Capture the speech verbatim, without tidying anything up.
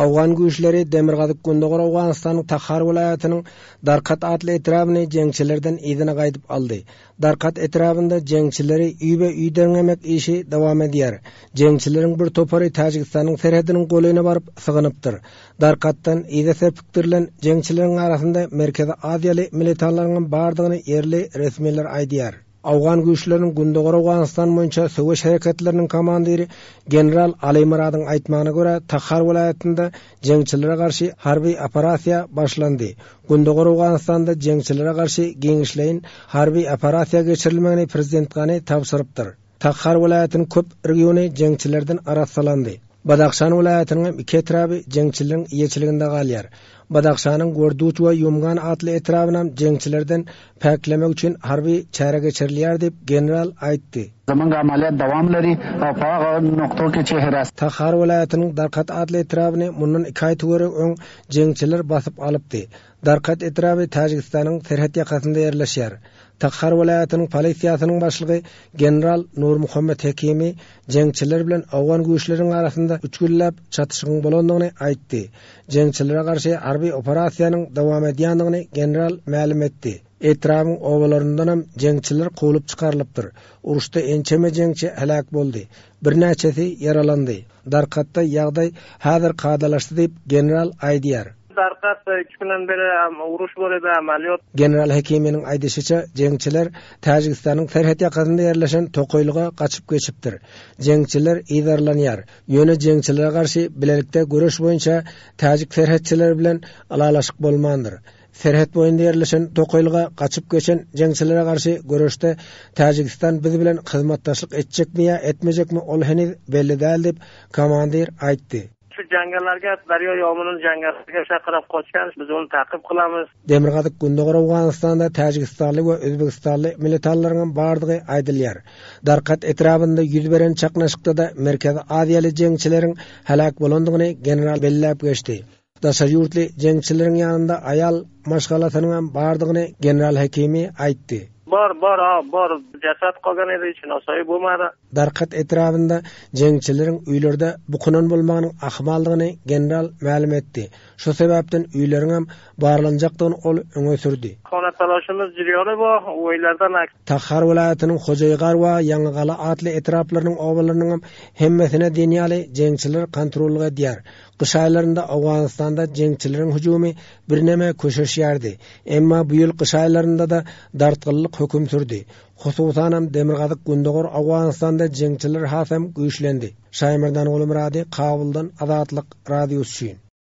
Owgan güýçleri Demirgazyk-Gündogar Owganystanyň Tahar welaýatynyň Darkat atly etrabyny jeňçilerden yzyna gaýdyp aldy. Darkat etrabynda jeňçileri üýbe-üý derňemek işi dowam edýär. Jeňçileriň bir topary Täjigistanyň serhediniň golaýyna baryp sygynypdyr. Darkatdan yza serpikdirilen jeňçileriň arasynda Merkezi Aziýaly militanlaryň bardygyny ýerli resmiler aýdýar. Owgan güýçleriniň Gündogar Owganystan boýunça söweş hereketleriniň komandiri general Ali Muradyň aýtmagyna görä Tahar welaýatynda jeňçilere garşy harby operasiýa başlandy. Gündogar Owganystanda jeňçilere garşy giňişleýin harby operasiýa geçirilmegini prezident Gani tabşyrypdyr. Tahar welaýatynyň köp regiony jeňçilerden arassalandy. Badakşan welaýatynyň iki etraby jeňçileriň eýeçiliginde galýar. Badakşanyň Gorduç we Ýumgan atly etrabynam jeňçilerden päklemek üçin harby çäre geçirilýär diýip general aýtdy. زمونږ عملیات دوام لري او په هغه نقطو کې چې حراست Tahar welaýatynyň Darkat atly etrabyny mundan iki aý töweregi öň jeňçiler basyp alypdy. Darkat etraby Täjigistanyň serhet ýakasynda ýerleşýär. Tahar welaýatynyň polisiýasynyň başlygy general Nur Muhammed Hekimi jeňçiler bilen owgan güýçleriniň arasynda üç günläp çatyşygyň bolandygyny aýtdy. Jeňçilere garşy harby operasiýanyň dowam edýändigini general mälim etdi. Etrabyň obalaryndanam jeňçiler kowlup çykarylypdyr. Uruşda ençeme jeňçi helak boldy. Birnäçesi ýaralandy. Darkatda ýagdaý häzir kadalaşdy diýip general aýdýar. Darkat iki günden beri uruş bor edi amaliyot. General Hekiminiň aýdyşyça jeňçiler Täjigistanyň serhet ýakasynda ýerleşen tokaýlyga gaçyp geçipdir. Jeňçiler yzarlanýar. Ýöne jeňçilere garşy bilelikde göreş boýunça täjik serhetçileri bilen ylalaşyk bolmandyr. Serhet boýunda ýerleşen tokaýlyga gaçyp geçen jeňçilere garşy göreşde Täjigistan biz bilen hyzmatdaşlyk etjekmi ýa etmejekmi ol heniz belli däl diýip komandir aýtdy. Şu jangallarga daryo yominin jangallarga chaqirib qochgan, biz uni taqib qilamiz. Demirgazyk Gündogar Owganystanda Täjigistanly we Özbegistanly militanlaryň bardygy aýdylýar. Darkat etrabynda ýüz beren çaknyşykda da Merkezi Aziýaly jeňçileriň helak bolandygyny general belläp geçdi. Daşary ýurtly jeňçileriň ýanynda aýal maşgalasynyň bardygyny general Hekimi aýtdy. Bor, bor, ha, bor. Jasad qolgan edi, hech narsa bo'lmadi. Darkat etrabynda jeňçileriň öýlerde bukunan bolmagynyň ahmaldygyny general mälim etdi. Şu sebäpden öýleriň hem barlanjakdygyny ol öňe sürdi. Xona taloshimiz jarayoni bor, uylardan Tahar welaýatynyň Hojaýgar we Ýaňygala atly etraplarynyň obalarynyň hem hemmesine diýen jeňçiler kontrollyk edýär. Gyş aýlarynda Owganystanda jeňçileriň hüjümi birneme köşeşýärdi. Emma bu ýyl gyş aýlarynda da dartgynlyk höküm sürdi. Hususanam Demirgazyk Gündogar Owganystanda jeňçiler hasam güýçlendi. Şaýmerdan Gulmurady Kabuldan Azatlyk radiosy üçin.